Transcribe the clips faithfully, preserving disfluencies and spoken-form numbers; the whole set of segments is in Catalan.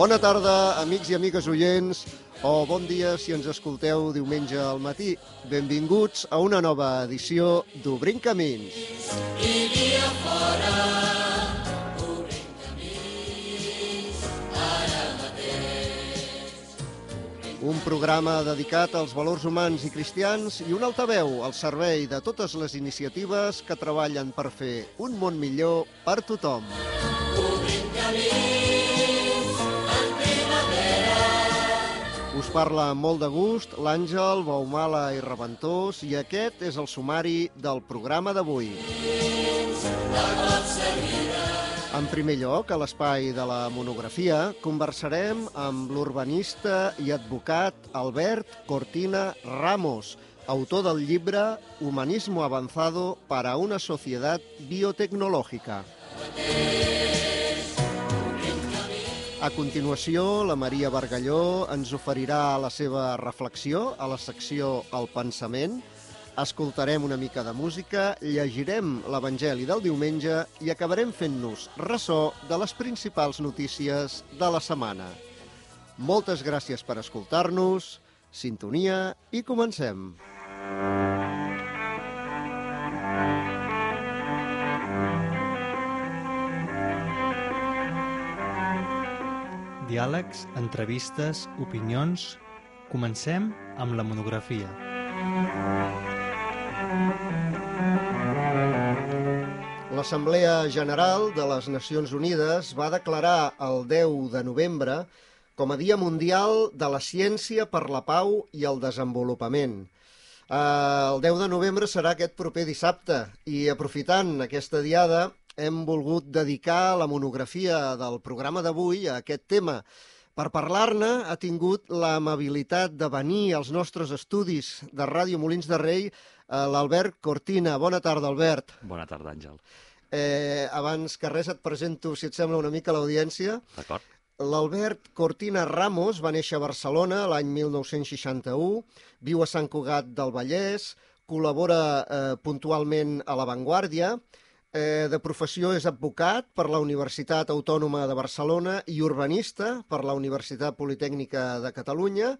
Bona tarda, amics i amigues oients, o bon dia si ens escolteu diumenge al matí. Benvinguts a una nova edició d'Obrim Camins. I dia fora, obrim camins, ara mateix. Un programa dedicat als valors humans i cristians i un altaveu al servei de totes les iniciatives que treballen per fer un món millor per tothom. Obrim camins. Us parla amb molt de gust l'Àngel Baumala i Reventós i aquest és el sumari del programa d'avui. En primer lloc, a l'espai de la monografia, conversarem amb l'urbanista i advocat Albert Cortina Ramos, autor del llibre Humanismo avanzado para una sociedad biotecnológica. A continuació, la Maria Bargalló ens oferirà la seva reflexió a la secció El Pensament, escoltarem una mica de música, llegirem l'Evangeli del diumenge i acabarem fent-nos ressò de les principals notícies de la setmana. Moltes gràcies per escoltar-nos, sintonia i comencem. Diàlegs, entrevistes, opinions... Comencem amb la monografia. L'Assemblea General de les Nacions Unides va declarar el deu de novembre com a Dia Mundial de la Ciència per la Pau i el Desenvolupament. El deu de novembre serà aquest proper dissabte i, aprofitant aquesta diada, hem volgut dedicar la monografia del programa d'avui a aquest tema. Per parlar-ne ha tingut l'amabilitat de venir als nostres estudis de Ràdio Molins de Rei l'Albert Cortina. Bona tarda, Albert. Bona tarda, Àngel. Eh, abans que res et presento, si et sembla, una mica l'audiència. D'acord. L'Albert Cortina Ramos va néixer a Barcelona l'any mil nou-cents seixanta-u, viu a Sant Cugat del Vallès, col·labora eh, puntualment a La Vanguardia. Eh, de professió és advocat per la Universitat Autònoma de Barcelona i urbanista per la Universitat Politècnica de Catalunya.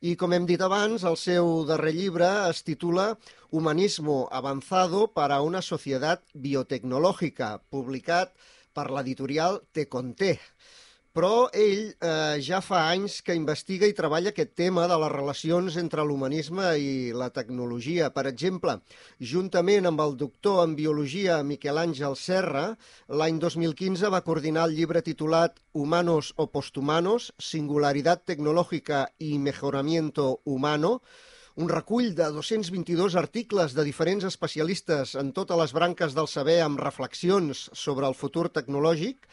I, com hem dit abans, el seu darrer llibre es titula Humanismo avanzado para una sociedad biotecnológica, publicat per l'editorial Te Conté. Però ell eh, ja fa anys que investiga i treballa aquest tema de les relacions entre l'humanisme i la tecnologia. Per exemple, juntament amb el doctor en biologia Miquel Àngel Serra, l'any dos mil quinze va coordinar el llibre titulat Humanos o posthumanos, singularidad tecnológica y mejoramiento humano, un recull de dos-cents vint-i-dos articles de diferents especialistes en totes les branques del saber amb reflexions sobre el futur tecnològic.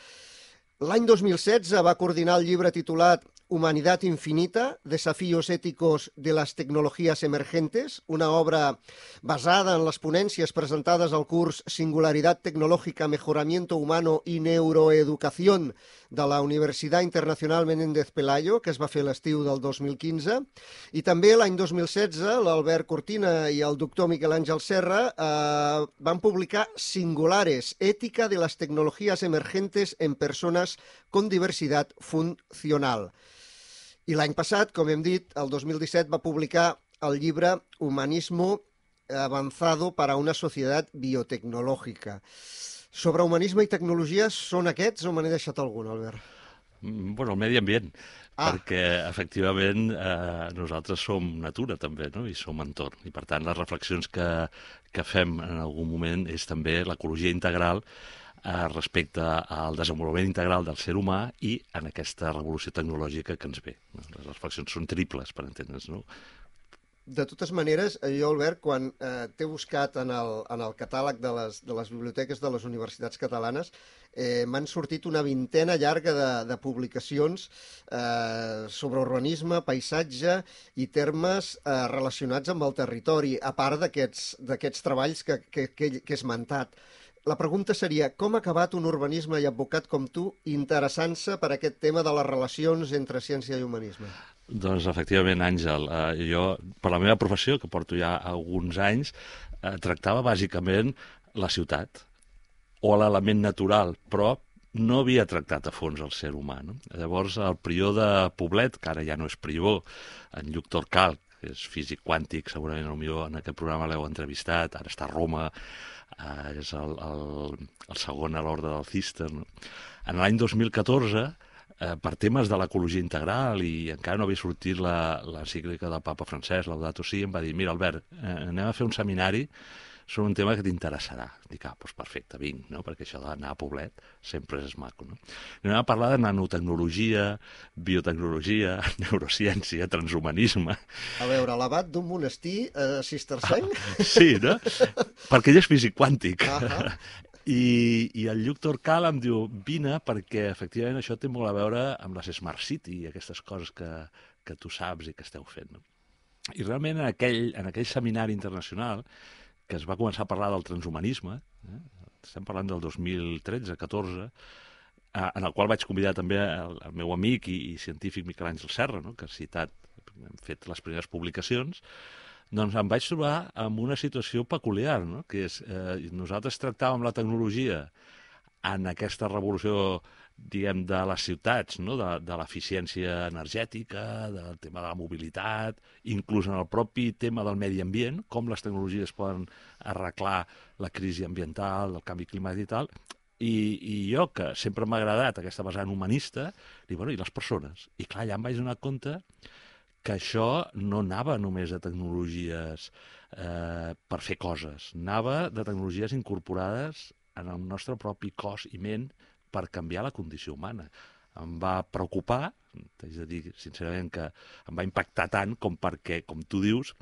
L'any dos mil setze va coordinar el llibre titulat Humanidad infinita, desafíos éticos de las tecnologías emergentes, una obra basada en les ponències presentades al curs Singularidad tecnológica, mejoramiento humano y neuroeducación de la Universitat Internacional Menéndez Pelayo, que es va fer l'estiu del dos mil quinze. I també l'any dos mil setze l'Albert Cortina i el doctor Miquel Àngel Serra eh, van publicar Singulares, ética de las tecnologías emergentes en personas con diversidad funcional. I l'any passat, com hem dit, el dos mil disset va publicar el llibre Humanismo avanzado para una sociedad biotecnológica. Sobre humanisme i tecnologia, són aquests o me n'he deixat algun, Albert? Bueno, el medi ambient, ah. perquè efectivament eh, nosaltres som natura també, no? I som entorn. I per tant les reflexions que, que fem en algun moment és també l'ecologia integral eh, respecte al desenvolupament integral del ser humà i en aquesta revolució tecnològica que ens ve. No? Les reflexions són triples, per entendre's, no? De totes maneres, jo, Albert, quan eh, t'he buscat en el, en el catàleg de les, de les biblioteques de les universitats catalanes, eh, m'han sortit una vintena llarga de, de publicacions eh, sobre urbanisme, paisatge i termes eh, relacionats amb el territori, a part d'aquests d'aquests treballs que, que, que, que he esmentat. La pregunta seria, com ha acabat un urbanisme i advocat com tu interessant-se per aquest tema de les relacions entre ciència i humanisme? Doncs, efectivament, Àngel, eh, jo, per la meva professió, que porto ja alguns anys, eh, tractava bàsicament la ciutat o l'element natural, però no havia tractat a fons el ser humà. No? Llavors, el prior de Poblet, que ara ja no és prior, en Lluc Torcal, que és físic quàntic, segurament potser en aquest programa l'heu entrevistat, ara està a Roma, eh, és el, el, el segon a l'ordre del Cister. No? En l'any dos mil catorze, eh, per temes de l'ecologia integral, i encara no havia sortit la, l'encíclica del papa Francesc, Laudato Si, em va dir, mira, Albert, eh, anem a fer un seminari sobre un tema que t'interessarà. Dic, ah, doncs perfecte, vinc, no? Perquè això d'anar a Poblet sempre és maco, no? I anem a parlar de nanotecnologia, biotecnologia, neurociència, transhumanisme. A veure, l'abat d'un monestir eh, cistercenc? Ah, sí, no? Perquè ell és físic quàntic. Uh -huh. I, I el Lluc Torcal em diu, vine, perquè efectivament això té molt a veure amb les Smart City i aquestes coses que, que tu saps i que esteu fent, no? I realment en aquell, en aquell seminari internacional que es va començar a parlar del transhumanisme, eh? Estem parlant del dos mil tretze catorze, eh, en el qual vaig convidar també el, el meu amic i, i científic Miquel Àngel Serra, no? Que ha citat, hem fet les primeres publicacions, doncs em vaig trobar amb una situació peculiar, no? Que és, eh, nosaltres tractàvem la tecnologia en aquesta revolució, diguem, de les ciutats, no? de, de l'eficiència energètica, del tema de la mobilitat, inclús en el propi tema del medi ambient, com les tecnologies poden arreglar la crisi ambiental, el canvi climàtic i tal, i, i jo, que sempre m'ha agradat aquesta vessant humanista, dic, bueno, i les persones? I clar, ja em vaig donar compte que això no anava només de tecnologies eh, per fer coses, anava de tecnologies incorporades en el nostre propi cos i ment per canviar la condició humana. Em va preocupar, t'haig de dir sincerament que em va impactar tant com perquè, com tu dius,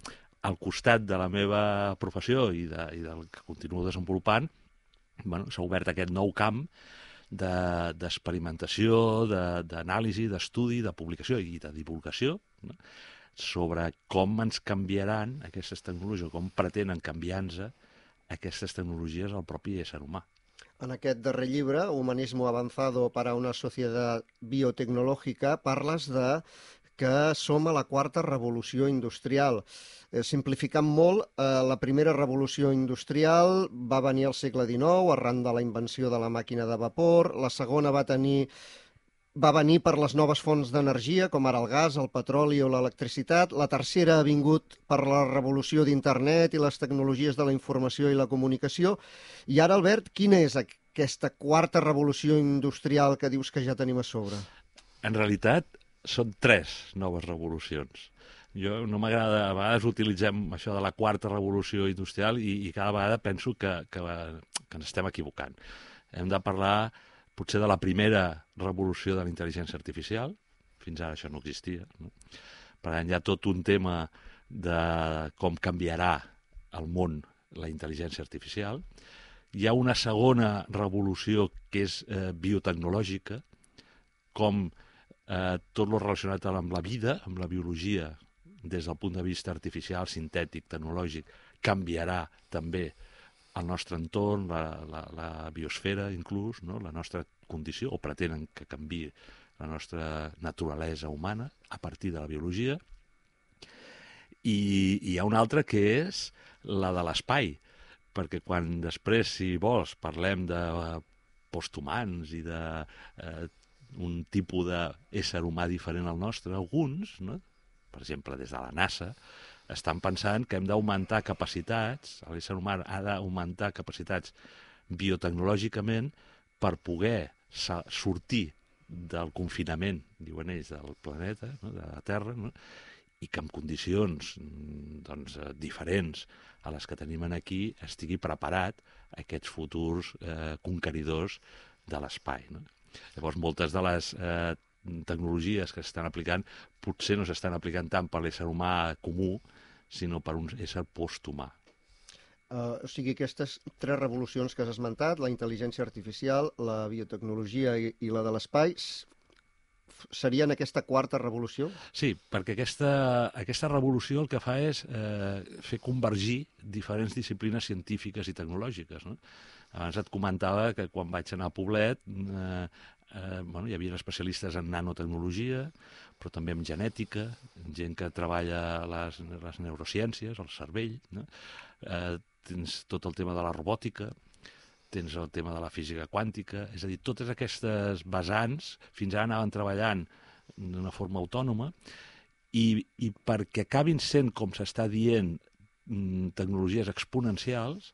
al costat de la meva professió i, de, i del que continuo desenvolupant, bueno, s'ha obert aquest nou camp d'experimentació, de, d'anàlisi, d'estudi, de publicació i de divulgació, no? Sobre com ens canviaran aquestes tecnologies, com pretenen canviar-nos aquestes tecnologies al propi ésser humà. En aquest darrer llibre, Humanismo avanzado para una sociedad biotecnológica, parles de que som a la quarta revolució industrial. Eh, simplificant molt, eh, la primera revolució industrial va venir al segle dinou, arran de la invenció de la màquina de vapor. La segona va tenir va venir per les noves fonts d'energia, com ara el gas, el petroli o l'electricitat. La tercera ha vingut per la revolució d'internet i les tecnologies de la informació i la comunicació. I ara, Albert, quina és aquesta quarta revolució industrial que dius que ja tenim a sobre? En realitat, són tres noves revolucions. Jo no m'agrada, a vegades utilitzem això de la quarta revolució industrial i, i cada vegada penso que, que, que ens estem equivocant. Hem de parlar potser de la primera revolució de la intel·ligència artificial, fins ara això no existia, no? Per tant, hi ha tot un tema de com canviarà el món la intel·ligència artificial. Hi ha una segona revolució que és eh, biotecnològica, com eh, tot el relacionat amb la vida, amb la biologia, des del punt de vista artificial, sintètic, tecnològic, canviarà també el nostre entorn, la, la, la biosfera inclús, no? La nostra condició, o pretenen que canviï la nostra naturalesa humana a partir de la biologia. I, i hi ha una altra que és la de l'espai, perquè quan després, si vols, parlem de posthumans i de eh, un tipus d'ésser humà diferent al nostre, alguns, no? Per exemple, des de la NASA, estan pensant que hem d'augmentar capacitats, l'ésser humà ha d'augmentar capacitats biotecnològicament per poder sortir del confinament, diuen ells, del planeta, no? De la Terra, no? I que en condicions doncs, diferents a les que tenim aquí estigui preparat aquests futurs eh, conqueridors de l'espai, no? Llavors, moltes de les eh, tecnologies que s'estan aplicant potser no s'estan aplicant tant per l'ésser humà comú, sinó per un ésser posthumà. Uh, o sigui, aquestes tres revolucions que has esmentat, la intel·ligència artificial, la biotecnologia i, i la de l'espai, serien aquesta quarta revolució? Sí, perquè aquesta, aquesta revolució el que fa és eh, fer convergir diferents disciplines científiques i tecnològiques, no? Abans et comentava que quan vaig anar a Poblet eh, eh, bueno, hi havia especialistes en nanotecnologia, però també en genètica, gent que treballa les, les neurociències, el cervell, no? Eh, tens tot el tema de la robòtica, tens el tema de la física quàntica, és a dir, totes aquestes vessants fins ara anaven treballant d'una forma autònoma i, i perquè acabin sent, com s'està dient, tecnologies exponencials,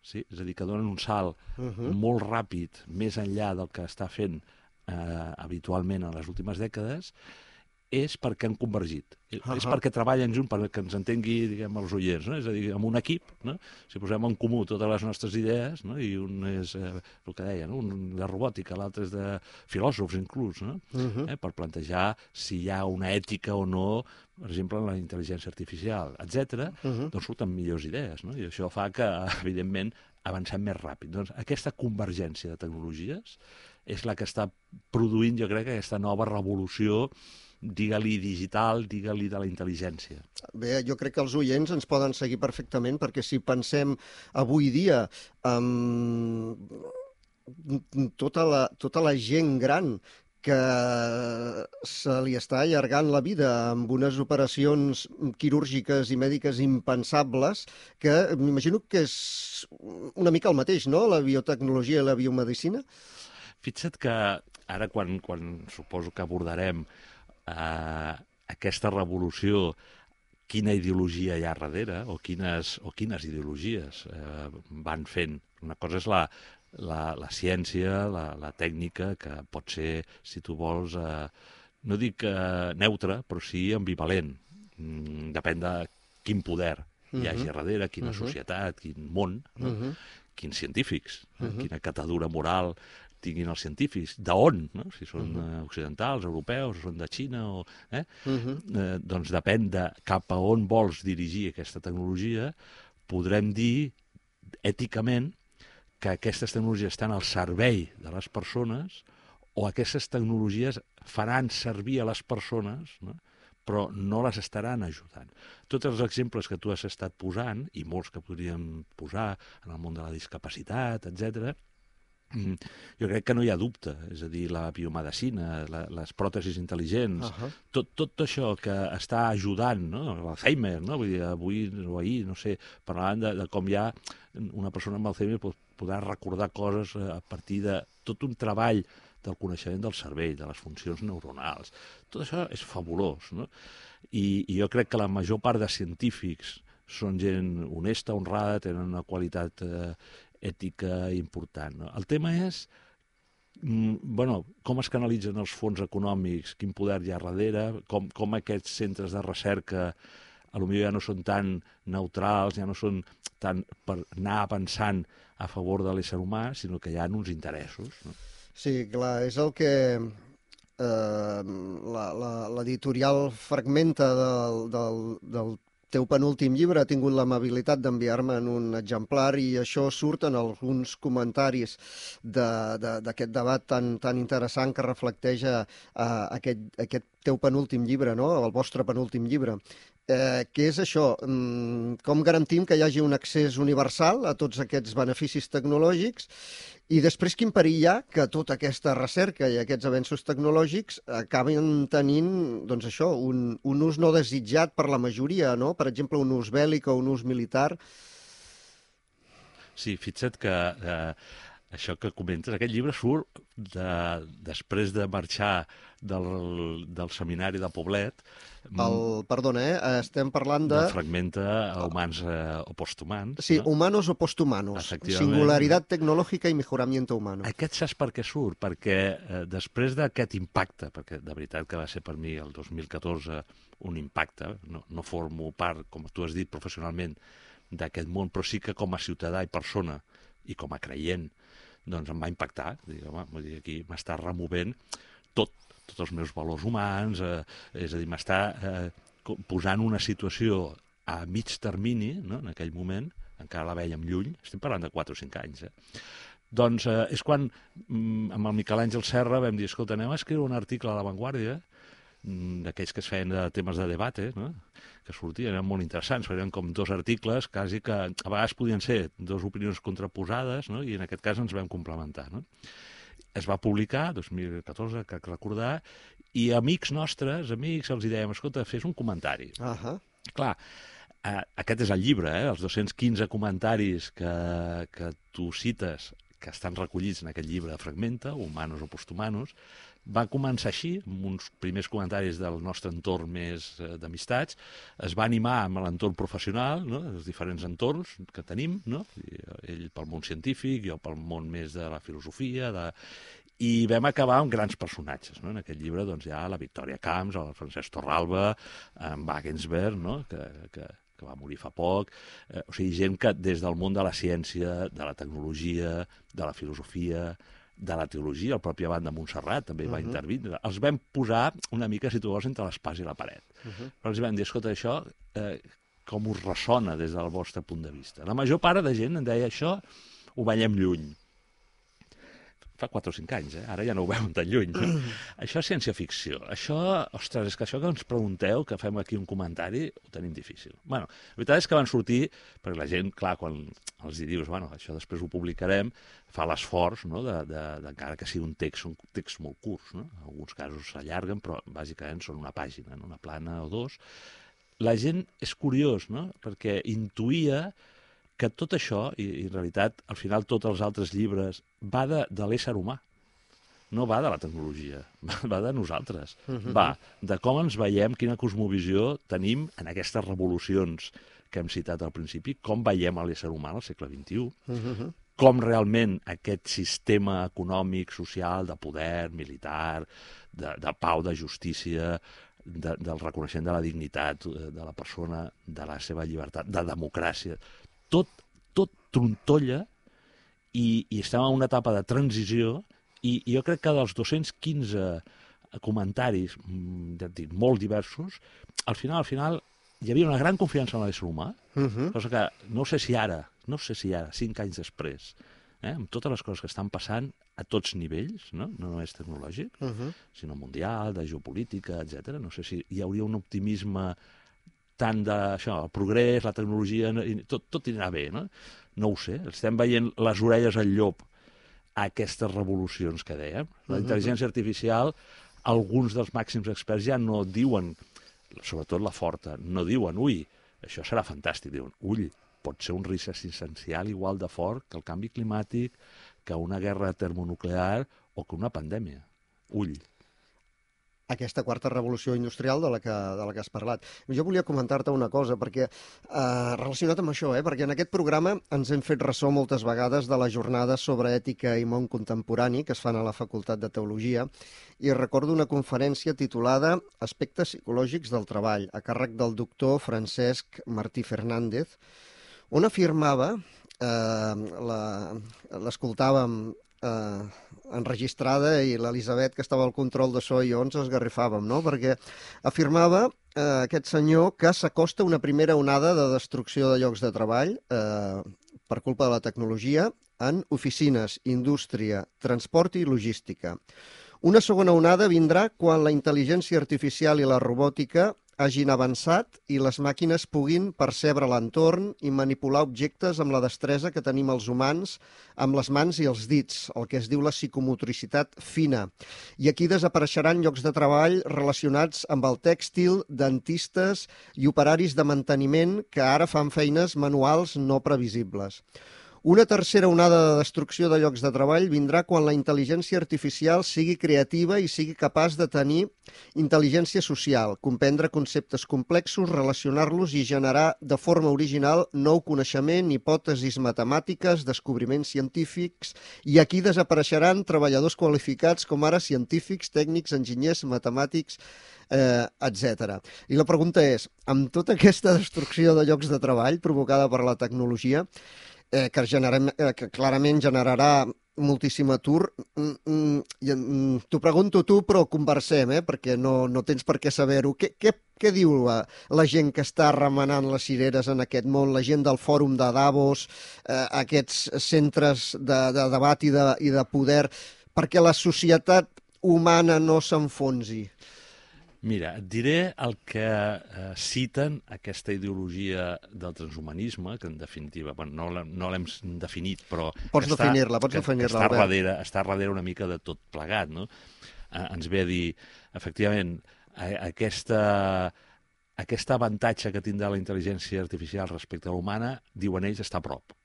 sí? És a dir, que donen un salt uh-huh. molt ràpid més enllà del que està fent eh, habitualment en les últimes dècades, és perquè han convergit. Uh-huh. És perquè treballen junts, perquè ens entengui, diguem, els oients, no? És a dir, amb un equip, no? Si posem en comú totes les nostres idees, no? I un és, eh, el que deia, no? Un de robòtica, l'altre és de filòsofs, inclús, no? Uh-huh. eh, per plantejar si hi ha una ètica o no, per exemple, en la intel·ligència artificial, etcètera, uh-huh. doncs surten millors idees, no? I això fa que, evidentment, avancem més ràpid. Doncs aquesta convergència de tecnologies és la que està produint, jo crec, aquesta nova revolució, digue-li digital, digue-li de la intel·ligència. Bé, jo crec que els oients ens poden seguir perfectament, perquè si pensem avui dia amb tota la, tota la gent gran que se li està allargant la vida amb unes operacions quirúrgiques i mèdiques impensables, que m'imagino que és una mica el mateix, no?, la biotecnologia i la biomedicina. Fixa't que ara, quan, quan suposo que abordarem Uh, aquesta revolució, quina ideologia hi ha darrere o quines, o quines ideologies uh, van fent. Una cosa és la, la, la ciència, la, la tècnica, que pot ser, si tu vols, uh, no dic uh, neutra, però sí ambivalent. Mm, depèn de quin poder uh-huh. hi hagi darrere, quina uh-huh. societat, quin món, no? uh-huh. quins científics, uh-huh. eh? quina catadura moral tinguin els científics, d'on, no? Si són uh-huh. occidentals, europeus, o són de Xina, o, eh? Uh-huh. eh, doncs depèn de cap a on vols dirigir aquesta tecnologia, podrem dir èticament que aquestes tecnologies estan al servei de les persones o aquestes tecnologies faran servir a les persones, no? Però no les estaran ajudant. Tots els exemples que tu has estat posant, i molts que podríem posar en el món de la discapacitat, etcètera, jo crec que no hi ha dubte, és a dir, la biomedicina, la, les pròtesis intel·ligents, uh-huh. tot, tot això que està ajudant, no? L'Alzheimer, no? Vull dir, avui o ahir, no sé, parlant de, de com ja una persona amb Alzheimer pot, podrà recordar coses a partir de tot un treball del coneixement del cervell, de les funcions neuronals. Tot això és fabulós, no? I, i jo crec que la major part de científics són gent honesta, honrada, tenen una qualitat eh, ètica important, no? El tema és, mm, bueno, com es canalitzen els fons econòmics, quin poder hi ha darrere, com, com aquests centres de recerca potser ja no són tan neutrals, ja no són tan per anar pensant a favor de l'ésser humà, sinó que hi ha uns interessos, no? Sí, clar, és el que eh, l'editorial Fragmenta del, del, del teu penúltim llibre ha tingut l'amabilitat d'enviar-me en un exemplar i això surt en alguns comentaris d'aquest de, de, debat tan, tan interessant que reflecteja uh, aquest, aquest teu penúltim llibre, no? El vostre penúltim llibre. Eh, què és això? Mm, com garantim que hi hagi un accés universal a tots aquests beneficis tecnològics i després quin perill hi ha que tota aquesta recerca i aquests avenços tecnològics acaben tenint, doncs això, un, un ús no desitjat per la majoria, no? Per exemple, un ús bèl·lic o un ús militar. Sí, fixa't que eh, això que comentes, aquest llibre surt de, després de marxar del, del seminari de Poblet. El, perdona, eh? Estem parlant de... De Fragmenta a humans eh, o posthumans. Sí, no? Humanos o posthumanos. Singularitat tecnològica i mejoramiento humano. Aquest saps per què surt? Perquè eh, després d'aquest impacte, perquè de veritat que va ser per mi el dos mil catorze un impacte, no, no formo part, com tu has dit, professionalment, d'aquest món, però sí que com a ciutadà i persona i com a creient, doncs em va impactar. Dic, home, vull dir, aquí m'està removent tot, tots els meus valors humans, eh, és a dir, m'està eh, posant una situació a mig termini, no? En aquell moment, encara la veiem lluny, estem parlant de quatre o cinc anys, eh? Doncs eh, és quan mm, amb el Miquel Àngel Serra vam dir, escolta, anem a escriure un article a La Vanguardia, d'aquells que es feien de temes de debate, no? Que sortien, eren molt interessants, eren com dos articles, quasi que a vegades podien ser dues opinions contraposades, no? I en aquest cas ens vam complementar, no? Es va publicar, dos mil catorze, crec recordar, i amics nostres, amics, els dèiem, escolta, fes un comentari. Uh-huh. Clar, eh, aquest és el llibre, eh? Els dos-cents quinze comentaris que, que tu cites, que estan recollits en aquest llibre de Fragmenta, Humanos o Posthumanos, va començar així, amb uns primers comentaris del nostre entorn més eh, d'amistats, es va animar amb l'entorn professional, no? Els diferents entorns que tenim, no? I, ell pel món científic, jo pel món més de la filosofia, de... i vam acabar amb grans personatges, no? En aquest llibre doncs, hi ha la Victòria Camps, el Francesc Torralba, en Wagensberg, no? que, que, que va morir fa poc, eh, o sigui, gent que des del món de la ciència, de la tecnologia, de la filosofia, de la teologia, el propi Abat de Montserrat també uh -huh. va intervindre. Els vam posar una mica, si tu vols, entre l'espàs i la paret. Uh -huh. Però els vam dir, escolta, això eh, com us ressona des del vostre punt de vista? La major part de gent em deia, això ho veiem lluny. Fa quatre o cinc anys, eh? Ara ja no ho veuen tan lluny. No? Mm. Això és ciència-ficció. Això, ostres, és que això que ens pregunteu, que fem aquí un comentari, ho tenim difícil. Bueno, la veritat és que van sortir, perquè la gent, clar, quan els hi dius, bueno, això després ho publicarem, fa l'esforç, no?, de, de, de, encara que sigui un text, un text molt curts, no? En alguns casos s'allarguen, però bàsicament són una pàgina, no? Una plana o dos. La gent és curiós, no?, perquè intuïa que tot això, i, i en realitat, al final, tots els altres llibres, va de, de l'ésser humà. No va de la tecnologia, va de nosaltres. Uh-huh. Va de com ens veiem, quina cosmovisió tenim en aquestes revolucions que hem citat al principi, com veiem l'ésser humà al segle vint-i-u, uh-huh. com realment aquest sistema econòmic, social, de poder, militar, de, de pau, de justícia, de, del reconeixement de la dignitat de la persona, de la seva llibertat, de democràcia, tot, tot trontolla i, i estem en una etapa de transició i, i jo crec que dels dos-cents quinze comentaris, ja et dic, molt diversos, al final, al final, hi havia una gran confiança en l'ésser humà, uh-huh. cosa que no sé si ara, no sé si ara, cinc anys després, eh, amb totes les coses que estan passant a tots nivells, no, no només tecnològic, uh-huh. sinó mundial, de geopolítica, etcètera. No sé si hi hauria un optimisme tant d'això, el progrés, la tecnologia, tot, tot anirà bé, no? No ho sé, estem veient les orelles al llop a aquestes revolucions que dèiem. La intel·ligència artificial, alguns dels màxims experts ja no diuen, sobretot la forta, no diuen, ui, això serà fantàstic, diuen, ull, pot ser un risc existencial igual de fort que el canvi climàtic, que una guerra termonuclear o que una pandèmia. Ull. Aquesta quarta revolució industrial de la que, de la que has parlat. Jo volia comentar-te una cosa, perquè eh, relacionat amb això, eh, perquè en aquest programa ens hem fet ressò moltes vegades de les jornades sobre ètica i món contemporani que es fan a la Facultat de Teologia, i recordo una conferència titulada Aspectes psicològics del treball, a càrrec del doctor Francesc Martí Fernández, on afirmava, eh, l'escoltàvem eh, enregistrada i l'Elisabet, que estava al control de so, i jo ens esgarrifàvem, no? Perquè afirmava eh, aquest senyor que s'acosta una primera onada de destrucció de llocs de treball eh, per culpa de la tecnologia en oficines, indústria, transport i logística. Una segona onada vindrà quan la intel·ligència artificial i la robòtica hagin avançat i les màquines puguin percebre l'entorn i manipular objectes amb la destresa que tenim els humans amb les mans i els dits, el que es diu la psicomotricitat fina. I aquí desapareixeran llocs de treball relacionats amb el tèxtil, dentistes i operaris de manteniment que ara fan feines manuals no previsibles. Una tercera onada de destrucció de llocs de treball vindrà quan la intel·ligència artificial sigui creativa i sigui capaç de tenir intel·ligència social, comprendre conceptes complexos, relacionar-los i generar de forma original nou coneixement, hipòtesis matemàtiques, descobriments científics, i aquí desapareixeran treballadors qualificats com ara científics, tècnics, enginyers, matemàtics, eh, etcètera. I la pregunta és, amb tota aquesta destrucció de llocs de treball provocada per la tecnologia, Eh, que, generem, eh, que clarament generarà moltíssim atur. Mm, mm, T'ho pregunto tu, però conversem, eh, perquè no, no tens per què saber-ho. Què, què, què diu la, la gent que està remenant les cireres en aquest món, la gent del fòrum de Davos, eh, aquests centres de, de debat i de, i de poder, perquè la societat humana no s'enfonsi? Mira, et diré el que eh, citen aquesta ideologia del transhumanisme, que en definitiva, bueno, no l'hem definit, però... Pots definir-la, pots definir-la, està darrere, està darrere una mica de tot plegat, no? Eh, ens ve a dir, efectivament, eh, aquesta, aquest avantatge que tindrà la intel·ligència artificial respecte a l'humana, diuen ells, està a prop,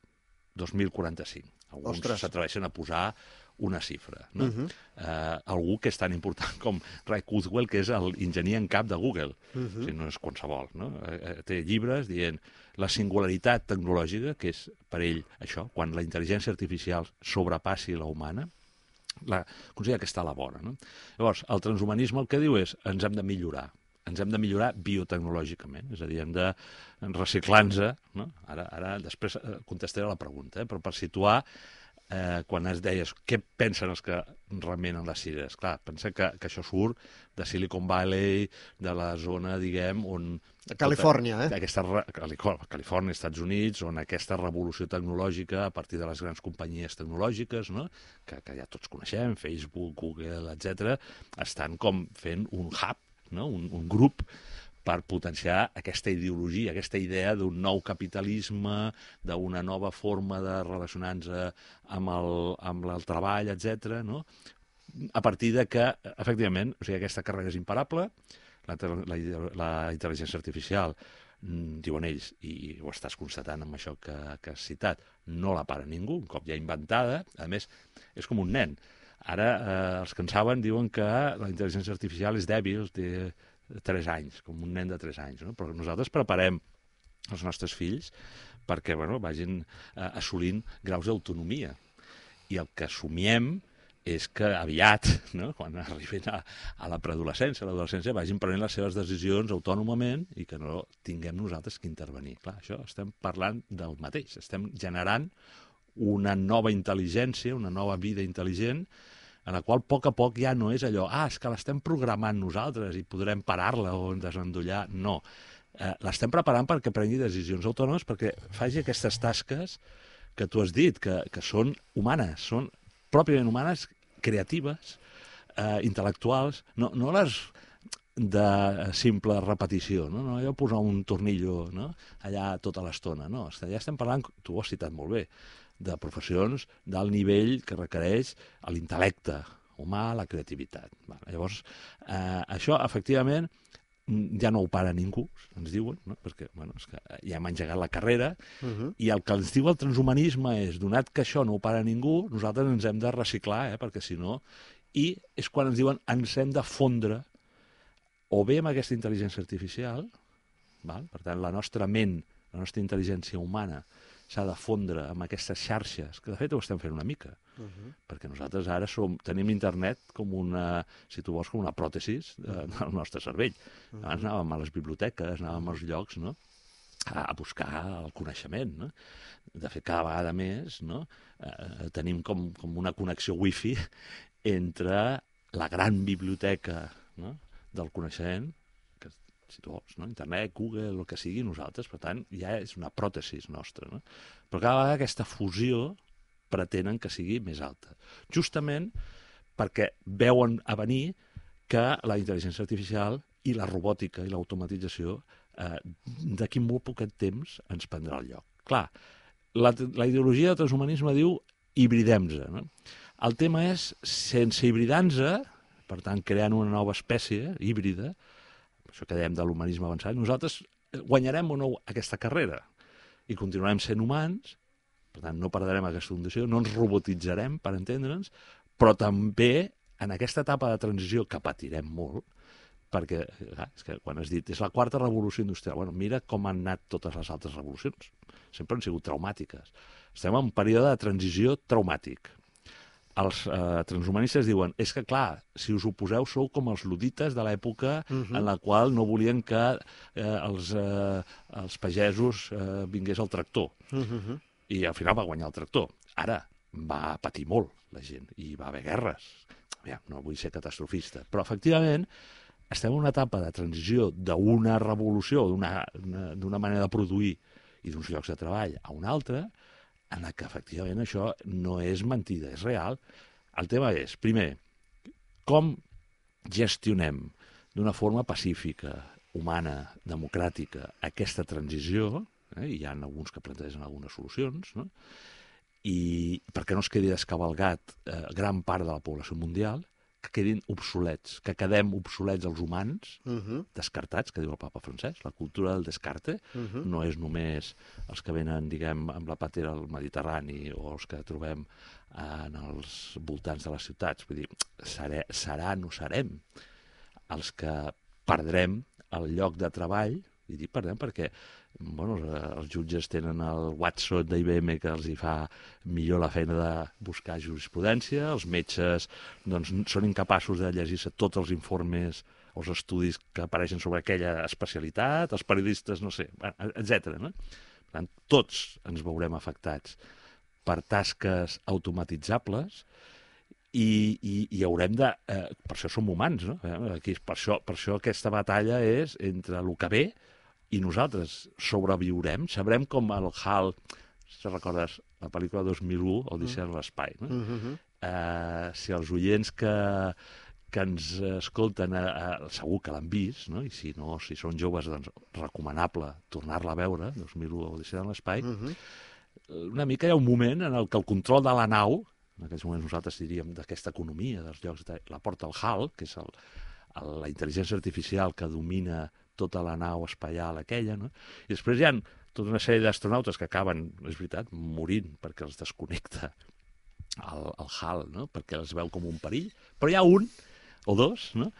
dos mil quaranta-cinc. Alguns Ostres. s'atreveixen a posar una xifra. No? Uh -huh. eh, algú que és tan important com Ray Kurzweil, que és l'enginyer en cap de Google. Uh -huh. O sigui, no és qualsevol. No? Eh, té llibres dient la singularitat tecnològica, que és per ell això, quan la intel·ligència artificial sobrepassi la humana, la, considera que està a la vora. No? Llavors, el transhumanisme el que diu és ens hem de millorar. Ens hem de millorar biotecnològicament, és a dir, hem de reciclar-nos. No? Ara, ara després contestaré la pregunta, eh? Però per situar, eh, quan es deies què pensen els que remenen les cireres, clar, pensa que, que això surt de Silicon Valley, de la zona, diguem, on... Califòrnia, eh? Aquesta, Califòrnia, Estats Units, on aquesta revolució tecnològica a partir de les grans companyies tecnològiques, no? que, que ja tots coneixem, Facebook, Google, etcètera, estan com fent un hub, no? un, un grup per potenciar aquesta ideologia, aquesta idea d'un nou capitalisme, d'una nova forma de relacionar-nos amb el, amb el treball, etcètera, no? A partir de que, efectivament, o sigui, aquesta carrera és imparable, la, la, la intel·ligència artificial, diuen ells, i ho estàs constatant amb això que, que has citat, no la para ningú, un cop ja inventada, a més, és com un nen. Ara, eh, els que en saben diuen que la intel·ligència artificial és dèbil, té tres anys, com un nen de tres anys, no? Però nosaltres preparem els nostres fills perquè bueno, vagin eh, assolint graus d'autonomia. I el que somiem és que aviat, no? Quan arribin a, a la preadolescència, a l'adolescència, vagin prenent les seves decisions autònomament i que no tinguem nosaltres que intervenir. Clar, això estem parlant del mateix, estem generant una nova intel·ligència, una nova vida intel·ligent, en la qual a poc a poc ja no és allò, ah, és que l'estem programant nosaltres i podrem parar-la o desendollar. No, eh, l'estem preparant perquè prengui decisions autònomes, perquè faci aquestes tasques que tu has dit, que, que són humanes, són pròpiament humanes, creatives, eh, intel·lectuals, no, no les de simple repetició, no? No allò posar un tornillo, no? Allà tota l'estona, no, ja estem parlant, tu ho has citat molt bé, de professions d'alt nivell que requereix l'intel·lecte humà, la creativitat. Llavors, eh, això, efectivament, ja no ho para ningú, ens diuen, no? Perquè bueno, és que ja hem engegat la carrera, uh -huh. I el que ens diu el transhumanisme és, donat que això no ho para ningú, nosaltres ens hem de reciclar, eh? Perquè si no... I és quan ens diuen ens hem de fondre o bé amb aquesta intel·ligència artificial, val? Per tant, la nostra ment, la nostra intel·ligència humana, s'ha de fondre amb aquestes xarxes, que de fet ho estem fent una mica, uh -huh. Perquè nosaltres ara som, tenim internet com una, si tu vols, com una pròtesis de, del nostre cervell. Uh -huh. Abans anàvem a les biblioteques, anàvem als llocs, no?, a buscar el coneixement, no? De fet, cada vegada més, no?, eh, tenim com, com una connexió wifi entre la gran biblioteca, no?, del coneixement, que si tu vols, no? Internet, Google, el que sigui, nosaltres, per tant, ja és una pròtesis nostra, no? Però cada vegada aquesta fusió pretenen que sigui més alta. Justament perquè veuen a venir que la intel·ligència artificial i la robòtica i l'automatització eh, d'aquí molt poquet temps ens prendrà el lloc. Clar, la, la ideologia del transhumanisme diu hibridem-se, no? El tema és, sense hibridar-nos, per tant, creant una nova espècie híbrida, això que dèiem de l'humanisme avançat, nosaltres guanyarem o no aquesta carrera i continuarem sent humans, per tant, no perdrem aquesta condició, no ens robotitzarem, per entendre'ns, però també en aquesta etapa de transició que patirem molt, perquè, clar, és que quan has dit, és la quarta revolució industrial, bueno, mira com han anat totes les altres revolucions, sempre han sigut traumàtiques. Estem en un període de transició traumàtic. Els eh, transhumanistes diuen, és que clar, si us oposeu sou com els ludites de l'època uh -huh. en la qual no volien que eh, els, eh, els pagesos eh, vingués el tractor. Uh -huh. I al final va guanyar el tractor. Ara va patir molt la gent i va haver guerres. Ja, no vull ser catastrofista, però efectivament estem en una etapa de transició d'una revolució, d'una manera de produir i d'uns llocs de treball a una altra, en la que efectivament això no és mentida, és real. El tema és, primer, com gestionem d'una forma pacífica, humana, democràtica, aquesta transició, eh? Hi ha alguns que plantegen algunes solucions, no?, i perquè no es quedi descavalgat eh, gran part de la població mundial, que quedin obsolets, que quedem obsolets els humans, Uh -huh. descartats, que diu el papa Francesc. La cultura del descarte Uh -huh. no és només els que venen, diguem, amb la patera al Mediterrani o els que trobem en els voltants de les ciutats. Vull dir, seré, seran o serem els que perdrem el lloc de treball, i dic perdem perquè bueno, els jutges tenen el Watson d'I B M que els hi fa millor la feina de buscar jurisprudència, els metges doncs, són incapaços de llegir-se tots els informes o els estudis que apareixen sobre aquella especialitat, els periodistes, no sé, etcètera. No? Per tant, tots ens veurem afectats per tasques automatitzables i, i, i haurem de... Eh, per això som humans, no? Aquí, per, això, per això aquesta batalla és entre el que ve i nosaltres sobreviurem, sabrem com el Hal, si recordes la pel·lícula dos mil u, Odissea en l'espai, no? Uh -huh. eh, si els oients que, que ens escolten eh, eh, segur que l'han vist, no? I si no, si són joves, doncs recomanable tornar-la a veure, dos mil u, Odissea en l'espai. Uh -huh. Una mica hi ha un moment en el que el control de la nau, en aquests moments nosaltres diríem d'aquesta economia, dels llocs, de, la porta el Hal, que és el, el, la intel·ligència artificial que domina tota la nau espaial aquella, no? I després hi ha tota una sèrie d'astronautes que acaben, és veritat, morint perquè els desconnecta el, el Hal, no? Perquè els veu com un perill, però hi ha un o dos, no?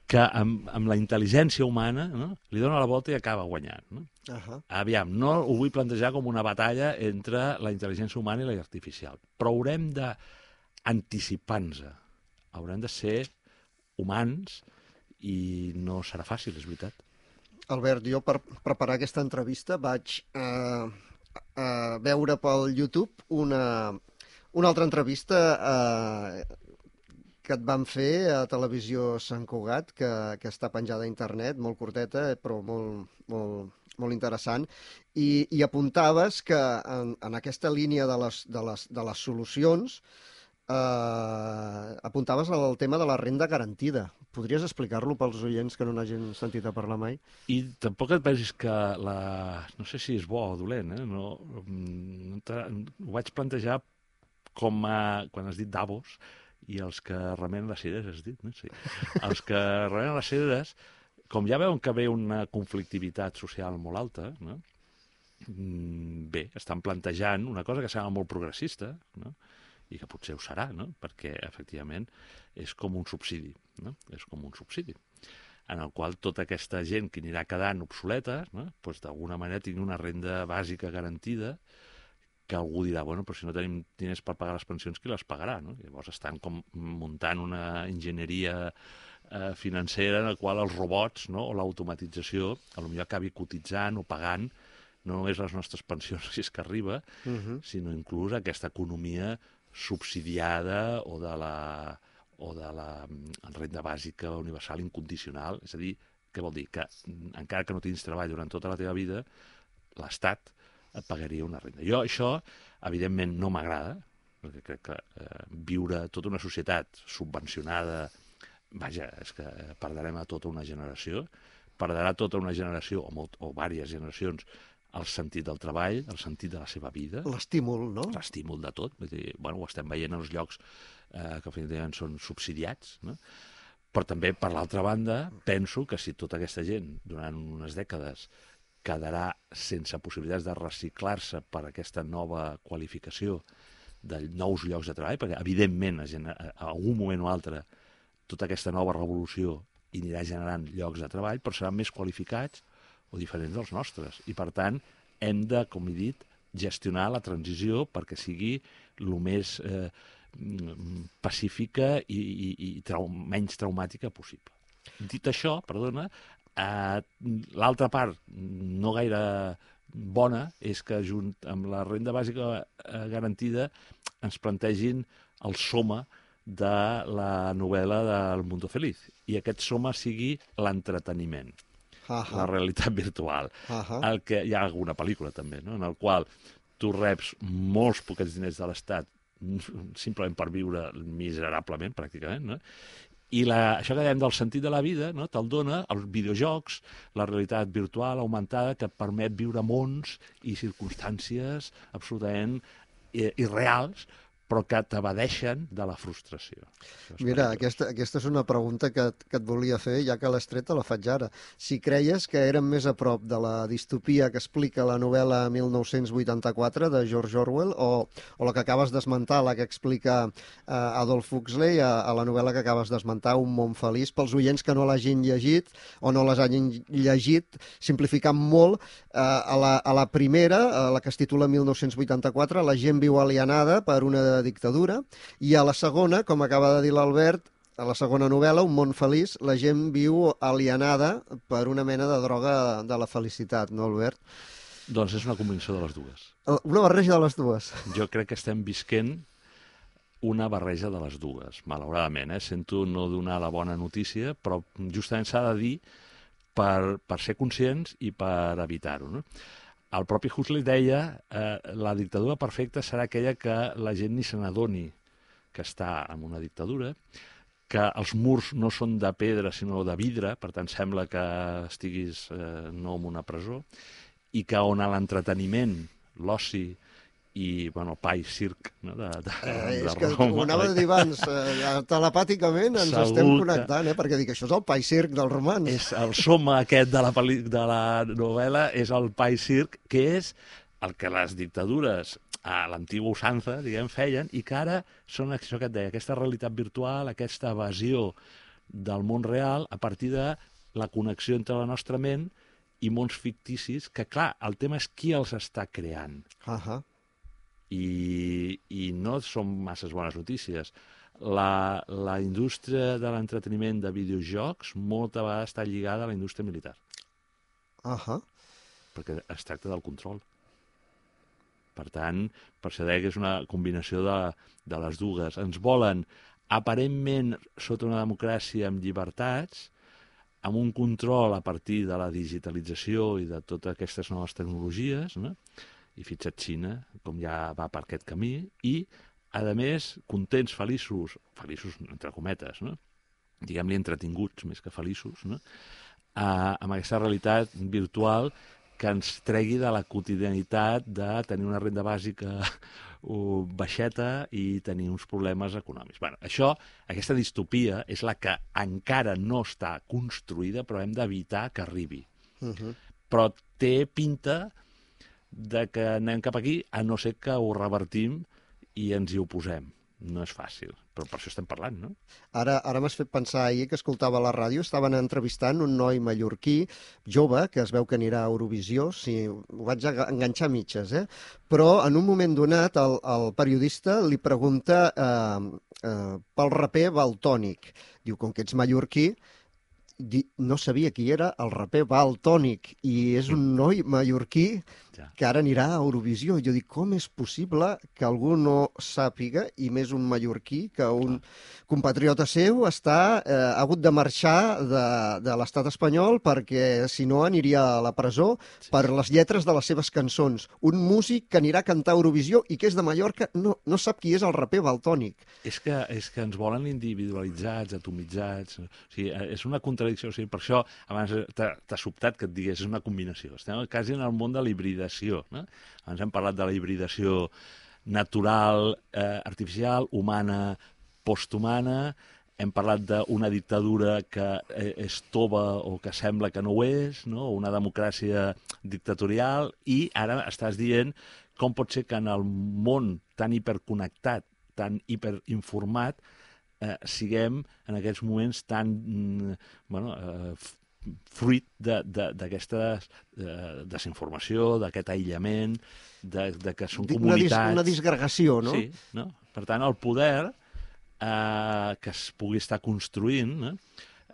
Que amb, amb la intel·ligència humana, no? Li dona la volta i acaba guanyant, no? Uh -huh. Aviam, no ho vull plantejar com una batalla entre la intel·ligència humana i la artificial, però haurem d'anticipar-nos, haurem de ser humans i no serà fàcil, és veritat. Albert, jo per preparar aquesta entrevista vaig eh, eh, veure pel YouTube una, una altra entrevista eh, que et van fer a Televisió Sant Cugat, que, que està penjada a internet, molt curteta, però molt, molt, molt interessant, i, i apuntaves que en, en aquesta línia de les, de les, de les solucions eh, apuntaves al tema de la renda garantida. Podries explicar-lo pels oients que no n'hagin sentit a parlar mai? I tampoc et pensis que la... no sé si és bo o dolent, eh? No, no ho vaig plantejar com a... quan has dit Davos, i els que remenen les cireres, has dit, no? Sí. Els que remenen les cireres, com ja veuen que ve una conflictivitat social molt alta, no? Bé, estan plantejant una cosa que sembla molt progressista, no? I que potser ho serà, no? Perquè, efectivament, és com un subsidi, no? És com un subsidi, en el qual tota aquesta gent que anirà quedant obsoleta, no? Pues, d'alguna manera tingui una renda bàsica garantida, que algú dirà, bueno, però si no tenim diners per pagar les pensions, qui les pagarà, no? Llavors estan com muntant una enginyeria eh, financera en la qual els robots, no? O l'automatització potser acabi cotitzant o pagant no només les nostres pensions, si és que arriba, uh -huh. sinó inclús aquesta economia subsidiada o de la, o de la renda bàsica universal incondicional. És a dir, què vol dir? Que encara que no tinguis treball durant tota la teva vida, l'Estat et pagaria una renda. Jo això, evidentment, no m'agrada, perquè crec que eh, viure tota una societat subvencionada, vaja, és que perdrem a tota una generació, perdrà tota una generació, o, molt, o diverses generacions, el sentit del treball, el sentit de la seva vida. L'estímul, no? L'estímul de tot. Vull dir, bueno, ho estem veient en els llocs eh, que definitivament són subsidiats, no? Però també, per l'altra banda, penso que si tota aquesta gent, durant unes dècades, quedarà sense possibilitats de reciclar-se per aquesta nova qualificació de nous llocs de treball, perquè, evidentment, a, a algun moment o altre, tota aquesta nova revolució anirà generant llocs de treball, però seran més qualificats o diferents dels nostres. I, per tant, hem de, com he dit, gestionar la transició perquè sigui el més eh, pacífica i, i, i trau, menys traumàtica possible. Dit això, perdona, eh, l'altra part no gaire bona és que, junt amb la renda bàsica eh, garantida, ens plantegin el soma de la novel·la del Mundo Feliz. I aquest soma sigui l'entreteniment. La realitat virtual. Uh-huh. El que, hi ha alguna pel·lícula també, no? En el qual tu reps molts poquets diners de l'Estat simplement per viure miserablement, pràcticament, no? I la, això que dèiem del sentit de la vida, no? Te'l dona els videojocs, la realitat virtual augmentada que et permet viure mons i circumstàncies absolutament irreals, però que t'evadeixen de la frustració. Mira, aquesta, aquesta és una pregunta que, que et volia fer, ja que l'has tret, te la faig ara. Si creies que érem més a prop de la distopia que explica la novel·la mil nou-cents vuitanta-quatre de George Orwell o, o la que acabes d'esmentar, la que explica uh, Adolf Huxley a, a la novel·la que acabes d'esmentar, Un món feliç, pels oients que no l'hagin llegit o no les hagin llegit, simplificant molt, uh, a, la, a la primera, a la que es titula mil nou-cents vuitanta-quatre, la gent viu alienada per una dictadura, i a la segona, com acaba de dir l'Albert, a la segona novel·la, Un món feliç, la gent viu alienada per una mena de droga de la felicitat, no, Albert? Doncs és una combinació de les dues. Una barreja de les dues. Jo crec que estem visquent una barreja de les dues, malauradament. Eh? Sento no donar la bona notícia, però justament s'ha de dir per, per ser conscients i per evitar-ho, no? El propi Huxley deia eh, la dictadura perfecta serà aquella que la gent ni se n'adoni que està en una dictadura, que els murs no són de pedra sinó de vidre, per tant sembla que estiguis eh, no en una presó, i que on l'entreteniment, l'oci i, bueno, pa i circ, no? de, de, eh, de és que Roma. ho anava a dir abans, eh, telepàticament ens Segur estem que... connectant, eh? Perquè dic, això és el pa i circ dels romans. És el soma aquest de la, peli... de la novel·la, és el pa i circ, que és el que les dictadures a l'antiga usança, diguem, feien, i que ara són això que et deia, aquesta realitat virtual, aquesta evasió del món real a partir de la connexió entre la nostra ment i mons ficticis, que clar, el tema és qui els està creant. Uh -huh. I, i no són masses bones notícies. La, la indústria de l'entreteniment de videojocs molta vegada està lligada a la indústria militar. Uh -huh. Perquè es tracta del control. Per tant, per això deia que és una combinació de, de les dues. Ens volen, aparentment, sota una democràcia amb llibertats, amb un control a partir de la digitalització i de totes aquestes noves tecnologies, no? I fixa't Xina, com ja va per aquest camí, i, a més, contents, feliços, feliços entre cometes, no? Diguem-li entretinguts més que feliços, no? Uh, amb aquesta realitat virtual que ens tregui de la quotidianitat de tenir una renda bàsica uh, baixeta i tenir uns problemes econòmics. Bueno, això, aquesta distopia, és la que encara no està construïda, però hem d'evitar que arribi. Uh -huh. Però té pinta de que anem cap aquí, a no ser que ho revertim i ens hi oposem. No és fàcil, però per això estem parlant, no? Ara, ara m'has fet pensar ahir que escoltava a la ràdio, estaven entrevistant un noi mallorquí, jove, que es veu que anirà a Eurovisió, si ho vaig enganxar a mitges, eh? Però en un moment donat el, el periodista li pregunta eh, eh, pel raper Valtònic. Diu, com que ets mallorquí, no sabia qui era el raper Valtònic, i és un noi mallorquí que ara anirà a Eurovisió. Jo dic, com és possible que algú no sàpiga, i més un mallorquí, que un compatriota seu està, eh, ha hagut de marxar de, de l'estat espanyol perquè, si no, aniria a la presó per les lletres de les seves cançons. Un músic que anirà a cantar a Eurovisió i que és de Mallorca no, no sap qui és el raper Valtònic. És que, és que ens volen individualitzats, atomitzats. O sigui, és una contradicció. O sigui, per això abans t'ha sobtat que et digués, és una combinació. Estem quasi en el món de l'hibridació. No? Abans hem parlat de la hibridació natural, eh, artificial, humana, posthumana. Hem parlat d'una dictadura que és tova o que sembla que no ho és, no? Una democràcia dictatorial, i ara estàs dient com pot ser que en el món tan hiperconnectat, tan hiperinformat, eh, siguem en aquests moments tan mm, bueno, eh, fruit d'aquesta de, desinformació, d'aquest aïllament, de, de que són una comunitats... Dis, una disgregació, no? Sí, no? Per tant, el poder eh, que es pugui estar construint, no?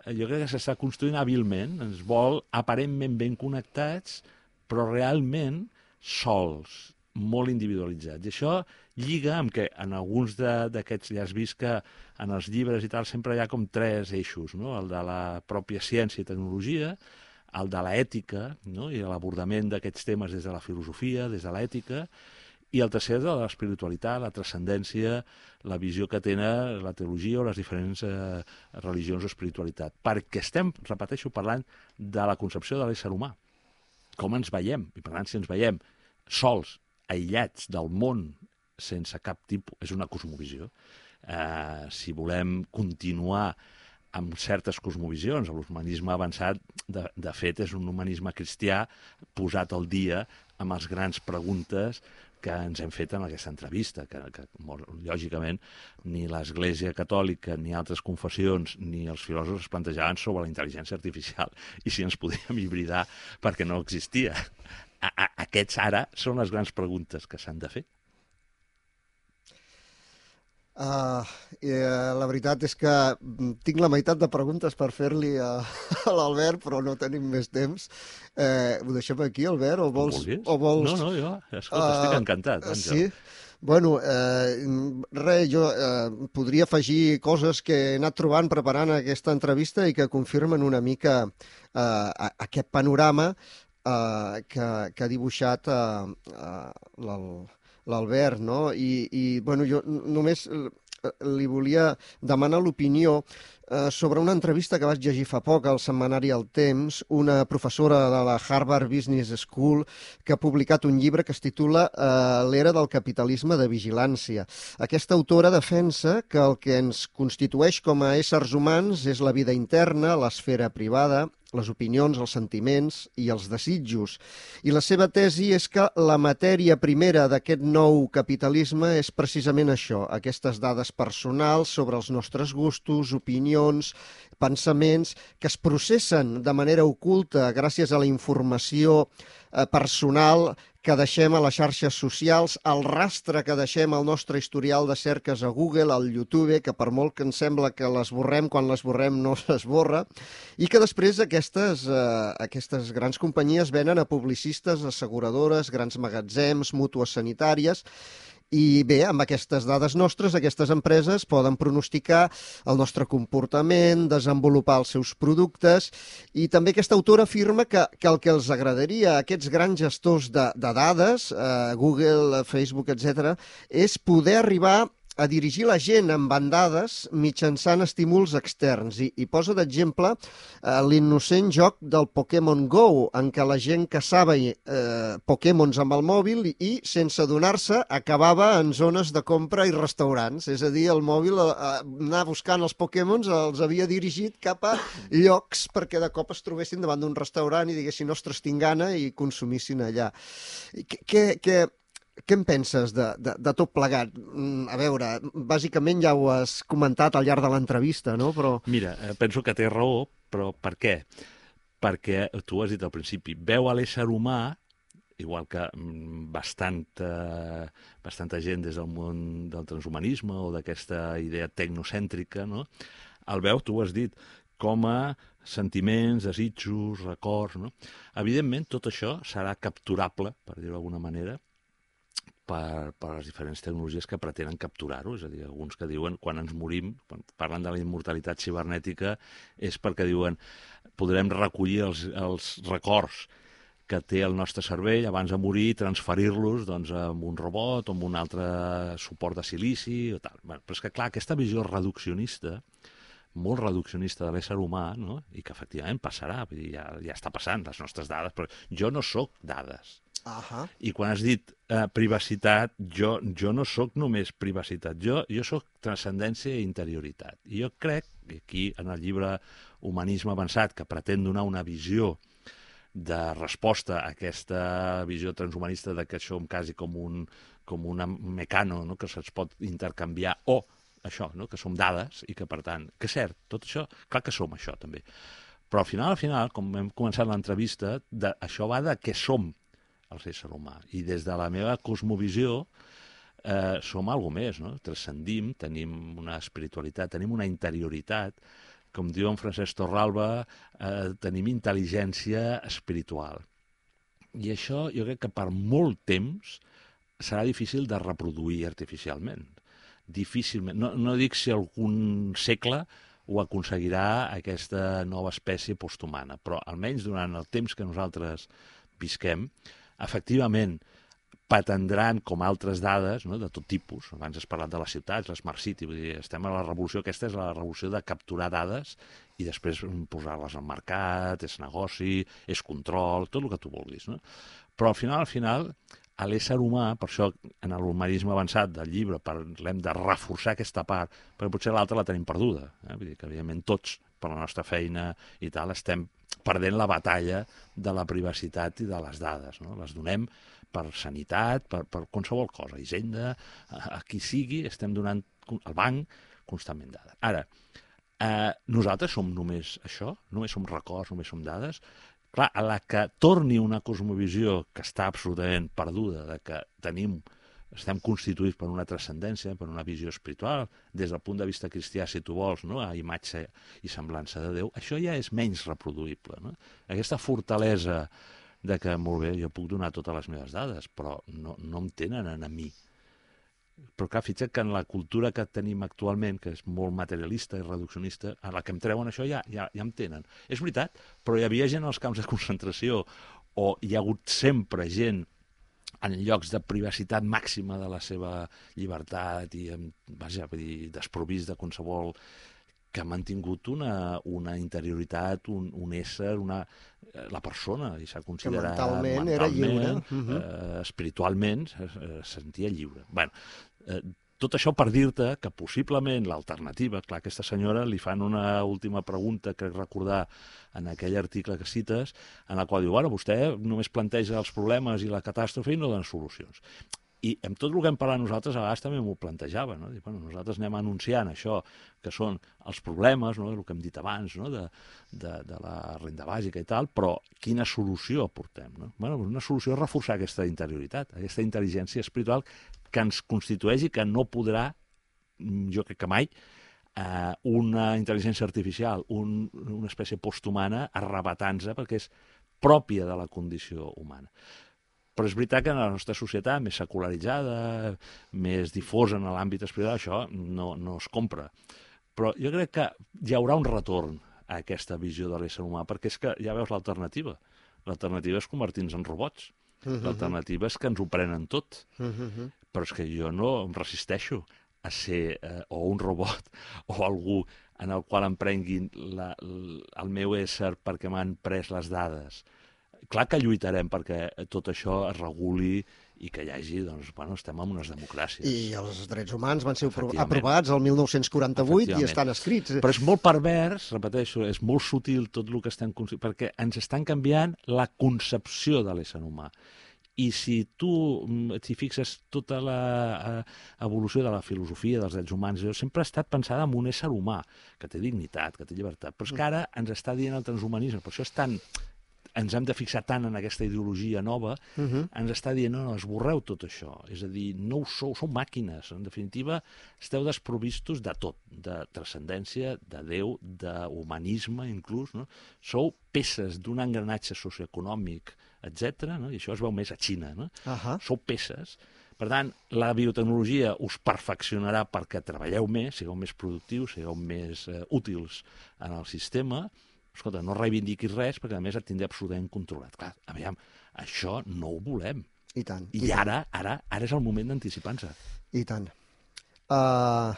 Jo crec que s'està construint hàbilment, ens vol aparentment ben connectats, però realment sols, molt individualitzats. I això lliga amb que en alguns d'aquests, ja has vist que en els llibres i tal sempre hi ha com tres eixos, no? El de la pròpia ciència i tecnologia, el de l'ètica, no? I l'abordament d'aquests temes des de la filosofia, des de l'ètica, i el tercer de l'espiritualitat, la transcendència, la visió que tenen la teologia o les diferents eh, religions o espiritualitat. Perquè estem, repeteixo, parlant de la concepció de l'ésser humà. Com ens veiem, i per tant, si ens veiem sols, aïllats del món sense cap tipus... És una cosmovisió. Eh, si volem continuar amb certes cosmovisions, l'humanisme avançat, de, de fet, és un humanisme cristià posat al dia amb les grans preguntes que ens hem fet en aquesta entrevista, que, que molt, lògicament ni l'Església Catòlica, ni altres confessions, ni els filòsofs es plantejaven sobre la intel·ligència artificial i si ens podíem hibridar perquè no existia. A, a, aquests ara són les grans preguntes que s'han de fer. Uh, eh, la veritat és que tinc la meitat de preguntes per fer-li a, a l'Albert, però no tenim més temps. Eh, ho deixem aquí, Albert? O vols, o vols... No, no, jo escolta, uh, estic encantat. Àngel. Sí? Bueno, eh, res, jo eh, podria afegir coses que he anat trobant preparant aquesta entrevista i que confirmen una mica eh, aquest panorama eh, que, que ha dibuixat eh, eh, l'Albert, no? I, i bueno, jo només li volia demanar l'opinió eh, sobre una entrevista que vaig llegir fa poc al setmanari El Temps, una professora de la Harvard Business School que ha publicat un llibre que es titula eh, L'era del capitalisme de vigilància. Aquesta autora defensa que el que ens constitueix com a éssers humans és la vida interna, l'esfera privada, les opinions, els sentiments i els desitjos. I la seva tesi és que la matèria primera d'aquest nou capitalisme és precisament això, aquestes dades personals sobre els nostres gustos, opinions, pensaments, que es processen de manera oculta gràcies a la informació eh, personal que deixem a les xarxes socials, el rastre que deixem al nostre historial de cerques a Google, al YouTube, que per molt que ens sembla que l'esborrem, quan l'esborrem no s'esborra, i que després aquestes, eh, aquestes grans companyies venen a publicistes, asseguradores, grans magatzems, mútues sanitàries. I bé, amb aquestes dades nostres, aquestes empreses poden pronosticar el nostre comportament, desenvolupar els seus productes, i també aquesta autora afirma que, que el que els agradaria a aquests grans gestors de, de dades, eh, Google, Facebook, etcètera, és poder arribar a dirigir la gent amb bandades mitjançant estímuls externs. I, i posa d'exemple eh, l'innocent joc del Pokémon Go, en què la gent caçava eh, Pokémons amb el mòbil i, i sense adonar-se, acabava en zones de compra i restaurants. És a dir, el mòbil, eh, anar buscant els Pokémons, els havia dirigit cap a llocs perquè de cop es trobessin davant d'un restaurant i diguessin, ostres, tinc gana, i consumissin allà. Què... què Què en penses de, de, de tot plegat? A veure, bàsicament ja ho has comentat al llarg de l'entrevista, no? Però... Mira, penso que té raó, però per què? Perquè, tu has dit al principi, veu a l'ésser humà, igual que bastanta, bastanta gent des del món del transhumanisme o d'aquesta idea tecnocèntrica, no? El veu, tu ho has dit, com a sentiments, desitjos, records, no? Evidentment, tot això serà capturable, per dir-ho d'alguna manera, Per, per les diferents tecnologies que pretenen capturar-ho. És a dir, alguns que diuen, quan ens morim, quan parlen de la immortalitat cibernètica, és perquè diuen, podrem recollir els, els records que té el nostre cervell abans de morir i transferir-los doncs, amb un robot o amb un altre suport de silici o tal. Bueno, però és que, clar, aquesta visió reduccionista, molt reduccionista de l'ésser humà, no? I que efectivament passarà, vull dir, ja, ja està passant, les nostres dades, però jo no sóc dades. Uh-huh. I quan has dit eh, privacitat, jo, jo no sóc només privacitat, jo, jo sóc transcendència i interioritat. I jo crec, i aquí en el llibre Humanisme avançat, que pretén donar una visió de resposta a aquesta visió transhumanista de que som quasi com un, com una mecano, no? Que se'ns pot intercanviar, o això, no? Que som dades i que, per tant, que és cert, tot això, clar que som això també. Però al final, al final, com hem començat l'entrevista, això va de què som el ésser humà. I des de la meva cosmovisió eh, som alguna més, no? Transcendim, tenim una espiritualitat, tenim una interioritat, com diu en Francesc Torralba, eh, tenim intel·ligència espiritual. I això jo crec que per molt temps serà difícil de reproduir artificialment. Difícilment. No, no dic si algun segle ho aconseguirà aquesta nova espècie posthumana, però almenys durant el temps que nosaltres visquem, efectivament, patendran com altres dades, no?, de tot tipus. Abans has parlat de les ciutats, les Smart City, vull dir, estem a la revolució, aquesta és la revolució de capturar dades i després posar-les al mercat, és negoci, és control, tot el que tu vulguis, no? Però al final, al final, a l'ésser humà, per això en l'humanisme avançat del llibre parlem de reforçar aquesta part, perquè potser l'altra la tenim perduda. Eh? Vull dir que, evidentment, tots, per la nostra feina i tal, estem perdent la batalla de la privacitat i de les dades. No? Les donem per sanitat, per, per qualsevol cosa, Hisenda, a, a qui sigui, estem donant al banc constantment dades. Ara, eh, nosaltres som només això? Només som records, només som dades? Clar, a la que torni una cosmovisió que està absolutament perduda, de que tenim, estem constituïts per una transcendència, per una visió espiritual, des del punt de vista cristià, si tu vols, no? A imatge i semblança de Déu, això ja és menys reproduïble. No? Aquesta fortalesa de que, molt bé, jo puc donar totes les meves dades, però no, no em tenen a mi. Però clar, fixa't que en la cultura que tenim actualment, que és molt materialista i reduccionista, a la que em treuen això ja, ja, ja em tenen. És veritat, però hi havia gent als camps de concentració, o hi ha hagut sempre gent en llocs de privacitat màxima de la seva llibertat i, vaja, vull dir, desprovist de qualsevol, que ha mantingut una, una interioritat, un, un ésser, una, la persona, i s'ha considerat que mentalment, mentalment era lliure. Uh-huh. eh, espiritualment es, es sentia lliure. Bueno, eh, tot això per dir-te que possiblement l'alternativa, clar, aquesta senyora li fan una última pregunta, crec recordar, en aquell article que cites, en la qual diu, bueno, vostè només planteja els problemes i la catàstrofe i no dona solucions. I amb tot el que hem parlat nosaltres, a vegades també m'ho plantejava, no? Dic, bueno, nosaltres anem anunciant això, que són els problemes, no? El que hem dit abans, no? de, de, de la renda bàsica i tal, però quina solució aportem? No? Bueno, una solució és reforçar aquesta interioritat, aquesta intel·ligència espiritual que ens constitueix i que no podrà, jo crec que mai, eh, una intel·ligència artificial, un, una espècie posthumana, arrebatant-se, perquè és pròpia de la condició humana. Però és veritat que en la nostra societat més secularitzada, més difosa en l'àmbit espiritual, això no, no es compra. Però jo crec que hi haurà un retorn a aquesta visió de l'ésser humà, perquè és que ja veus l'alternativa. L'alternativa és convertir-nos en robots. Uh-huh. L'alternativa és que ens ho prenen tot. Uh-huh. Però és que jo no em resisteixo a ser eh, o un robot o algú en el qual em prenguin la, el meu ésser perquè m'han pres les dades. Clar que lluitarem perquè tot això es reguli i que hi hagi, doncs, bueno, estem en unes democràcies. I els drets humans van ser aprovats el mil nou-cents quaranta-vuit i estan escrits. Però és molt pervers, repeteixo, és molt sutil tot el que estem... perquè ens estan canviant la concepció de l'ésser humà. I si tu t'hi fixes tota l'evolució de la filosofia dels drets humans, sempre ha estat pensada en un ésser humà, que té dignitat, que té llibertat, però és que ara ens està dient el transhumanisme, per això és tan... ens hem de fixar tant en aquesta ideologia nova, uh-huh. ens està dient, no, no, esborreu tot això. És a dir, no ho sou, sou màquines. En definitiva, esteu desprovistos de tot, de transcendència, de Déu, d'humanisme, inclús. No? Sou peces d'un engranatge socioeconòmic, etcètera, no? I això es veu més a Xina. No? Uh-huh. Sou peces. Per tant, la biotecnologia us perfeccionarà perquè treballeu més, sigueu més productius, sigueu més eh, útils en el sistema. Escolta, no reivindiquis res perquè, a més, et tindré absolutament controlat. Clar, aviam, això no ho volem. I tant. I, i ara, tant. ara, ara és el moment d'anticipar-nos. I tant. Uh,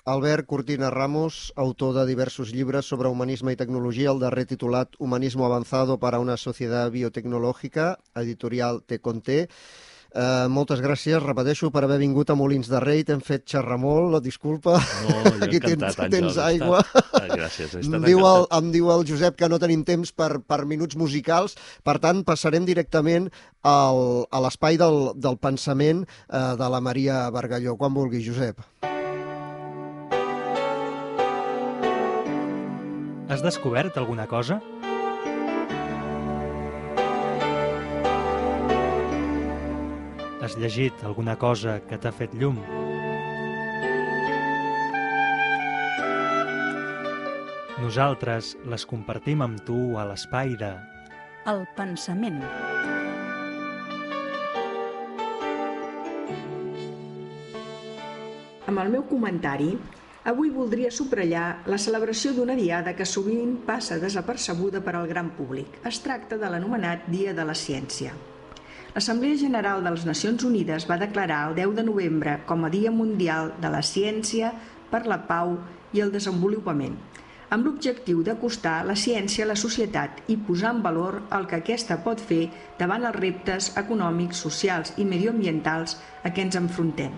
Albert Cortina Ramos, autor de diversos llibres sobre humanisme i tecnologia, el darrer titulat Humanismo avanzado para una sociedad biotecnológica, editorial Te Conté. Uh, moltes gràcies, repeteixo, per haver vingut a Molins de Rei. T'hem fet xerrar molt, disculpa. No, jo aquí encantat, tens, tens aigua. Estat... Gràcies, he estat em, diu el, em diu el Josep que no tenim temps per, per minuts musicals, per tant passarem directament al, a l'espai del, del pensament uh, de la Maria Bargalló. Quan vulgui, Josep. Has descobert alguna cosa? Has llegit alguna cosa que t'ha fet llum? Nosaltres les compartim amb tu a l'espai de... El pensament. Amb el meu comentari, avui voldria subratllar la celebració d'una diada que sovint passa desapercebuda per al gran públic. Es tracta de l'anomenat Dia de la Ciència. L'Assemblea General de les Nacions Unides va declarar el deu de novembre com a Dia Mundial de la Ciència per la Pau i el Desenvolupament. amb l'objectiu d'acostar la ciència a la societat i posar en valor el que aquesta pot fer davant els reptes econòmics, socials i medioambientals a què ens enfrontem.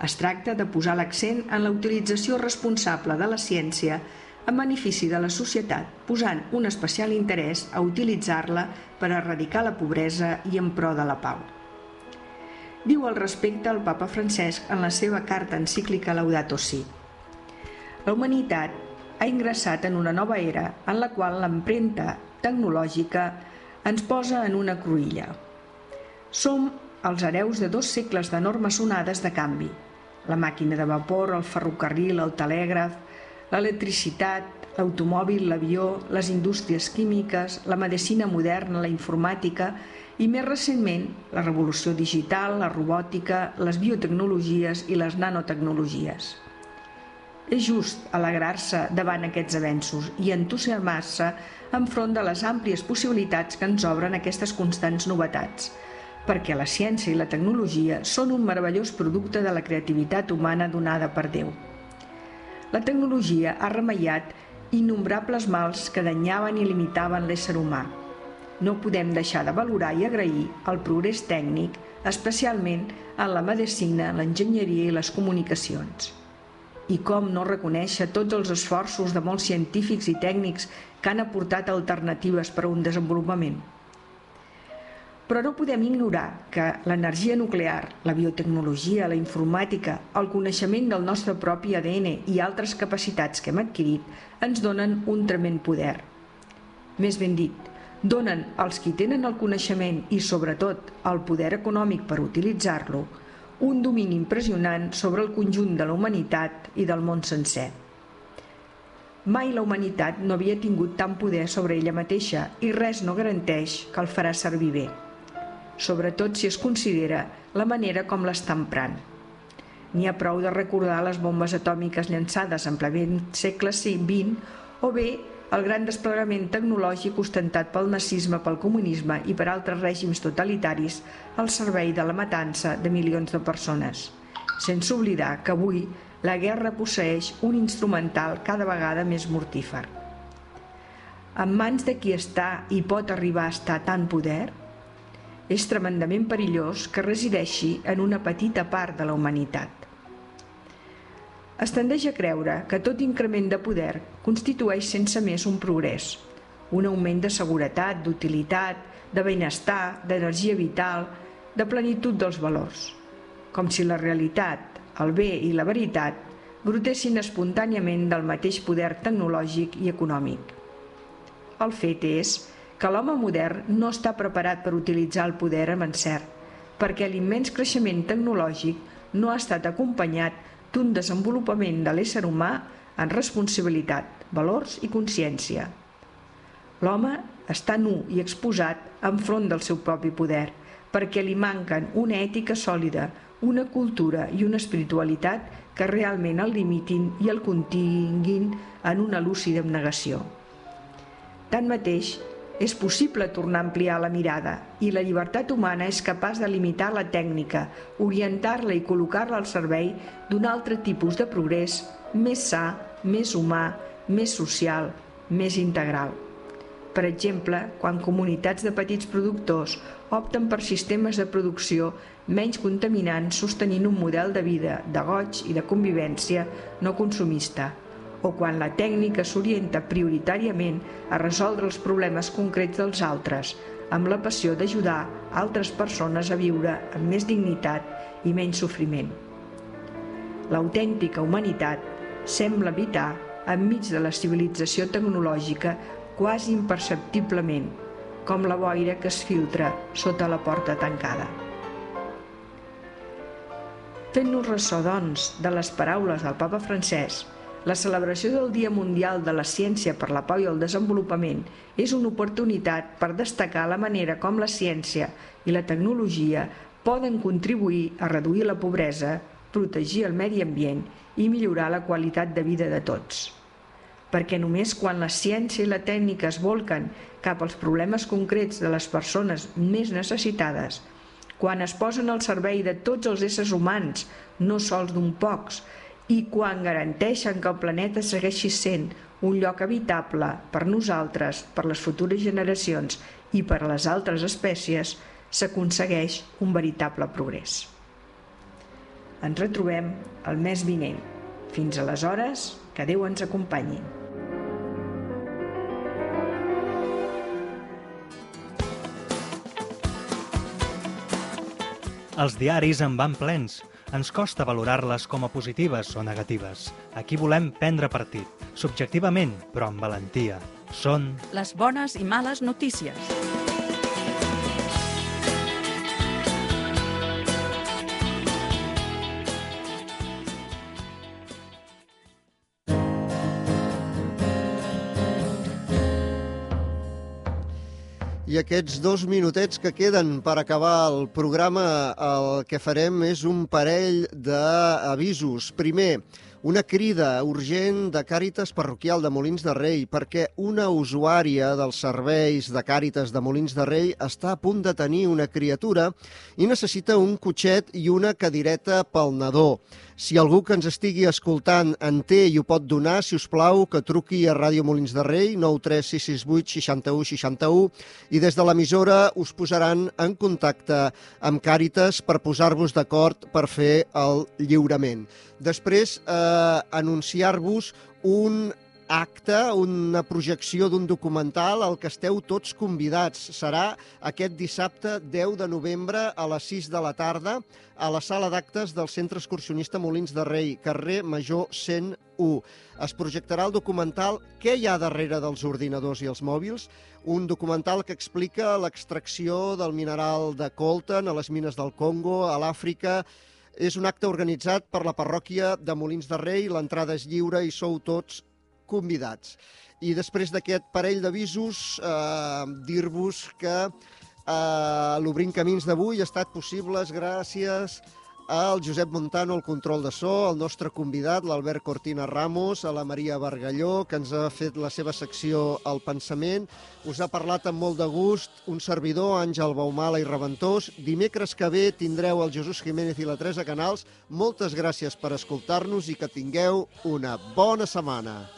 Es tracta de posar l'accent en la utilització responsable de la ciència en benefici de la societat, posant un especial interès a utilitzar-la per erradicar la pobresa i en pro de la pau. Diu al respecte el papa Francesc en la seva carta encíclica Laudato Si. La humanitat ha ingressat en una nova era en la qual l'empremta tecnològica ens posa en una cruïlla. Som els hereus de dos segles d'enormes onades de canvi. La màquina de vapor, el ferrocarril, el telègraf, l'electricitat, l'automòbil, l'avió, les indústries químiques, la medicina moderna, la informàtica i, més recentment, la revolució digital, la robòtica, les biotecnologies i les nanotecnologies. És just alegrar-se davant aquests avenços i entusiasmar-se enfront de les àmplies possibilitats que ens obren aquestes constants novetats, perquè la ciència i la tecnologia són un meravellós producte de la creativitat humana donada per Déu. La tecnologia ha remeiat innombrables mals que danyaven i limitaven l'ésser humà. No podem deixar de valorar i agrair el progrés tècnic, especialment en la medicina, l'enginyeria i les comunicacions. I com no reconèixer tots els esforços de molts científics i tècnics que han aportat alternatives per a un desenvolupament. Però no podem ignorar que l'energia nuclear, la biotecnologia, la informàtica, el coneixement del nostre propi A D N i altres capacitats que hem adquirit ens donen un tremend poder. Més ben dit, donen als qui tenen el coneixement i, sobretot, el poder econòmic per utilitzar-lo, un domini impressionant sobre el conjunt de la humanitat i del món sencer. Mai la humanitat no havia tingut tant poder sobre ella mateixa i res no garanteix que el farà servir bé, sobretot si es considera la manera com l'està emprant. N'hi ha prou de recordar les bombes atòmiques llançades en ple segle vint o bé el gran desplegament tecnològic ostentat pel nazisme, pel comunisme i per altres règims totalitaris al servei de la matança de milions de persones, sense oblidar que avui la guerra posseeix un instrumental cada vegada més mortífer. En mans de qui està i pot arribar a estar tant poder, és tremendament perillós que resideixi en una petita part de la humanitat. Es tendeix a creure que tot increment de poder constitueix sense més un progrés, un augment de seguretat, d'utilitat, de benestar, d'energia vital, de plenitud dels valors, com si la realitat, el bé i la veritat brotessin espontàniament del mateix poder tecnològic i econòmic. El fet és que l'home modern no està preparat per utilitzar el poder amb encert, perquè l'immens creixement tecnològic no ha estat acompanyat d'un desenvolupament de l'ésser humà en responsabilitat, valors i consciència. L'home està nu i exposat enfront del seu propi poder, perquè li manquen una ètica sòlida, una cultura i una espiritualitat que realment el limitin i el continguin en una lúcida abnegació. Tanmateix, és possible tornar a ampliar la mirada i la llibertat humana és capaç de limitar la tècnica, orientar-la i col·locar-la al servei d'un altre tipus de progrés més sa, més humà, més social, més integral. Per exemple, quan comunitats de petits productors opten per sistemes de producció menys contaminants sostenint un model de vida, de goig i de convivència no consumista, o quan la tècnica s'orienta prioritàriament a resoldre els problemes concrets dels altres, amb la passió d'ajudar altres persones a viure amb més dignitat i menys sofriment. L'autèntica humanitat sembla habitar enmig de la civilització tecnològica quasi imperceptiblement, com la boira que es filtra sota la porta tancada. Fent-nos ressò, doncs, de les paraules del papa Francesc, la celebració del Dia Mundial de la Ciència per la Pau i el Desenvolupament és una oportunitat per destacar la manera com la ciència i la tecnologia poden contribuir a reduir la pobresa, protegir el medi ambient i millorar la qualitat de vida de tots. Perquè només quan la ciència i la tècnica es volquen cap als problemes concrets de les persones més necessitades, quan es posen al servei de tots els éssers humans, no sols d'un pocs, i quan garanteixen que el planeta segueixi sent un lloc habitable per nosaltres, per les futures generacions i per a les altres espècies, s'aconsegueix un veritable progrés. Ens retrobem el mes vinent. Fins aleshores, que Déu ens acompanyi. Els diaris en van plens. Ens costa valorar-les com a positives o negatives. Aquí volem prendre partit, subjectivament, però amb valentia. Són les bones i males notícies. I aquests dos minutets que queden per acabar el programa, el que farem és un parell d'avisos. Primer, una crida urgent de Càritas Parroquial de Molins de Rei perquè una usuària dels serveis de Càritas de Molins de Rei està a punt de tenir una criatura i necessita un cotxet i una cadireta pel nadó. Si algú que ens estigui escoltant en té i ho pot donar, si us plau, que truqui a Ràdio Molins de Rei, nou tres sis sis vuit sis u sis u, i des de l'emissora us posaran en contacte amb Càritas per posar-vos d'acord per fer el lliurament. Després, eh, anunciar-vos un acte, una projecció d'un documental al que esteu tots convidats. Serà aquest dissabte deu de novembre a les sis de la tarda a la sala d'actes del Centre Excursionista Molins de Rei, carrer Major cent u. Es projectarà el documental Què hi ha darrere dels ordinadors i els mòbils? Un documental que explica l'extracció del mineral de coltan a les mines del Congo, a l'Àfrica. És un acte organitzat per la parròquia de Molins de Rei, l'entrada és lliure i sou tots convidats. I després d'aquest parell d'avisos, eh, dir-vos que eh, l'Obrint Camins d'avui ha estat possible gràcies al Josep Montano, al control de so, al nostre convidat, l'Albert Cortina Ramos, a la Maria Bargalló, que ens ha fet la seva secció El Pensament. Us ha parlat amb molt de gust un servidor, Àngel Baumala i Reventós. Dimecres que ve tindreu el Jesús Jiménez i la Teresa Canals. Moltes gràcies per escoltar-nos i que tingueu una bona setmana.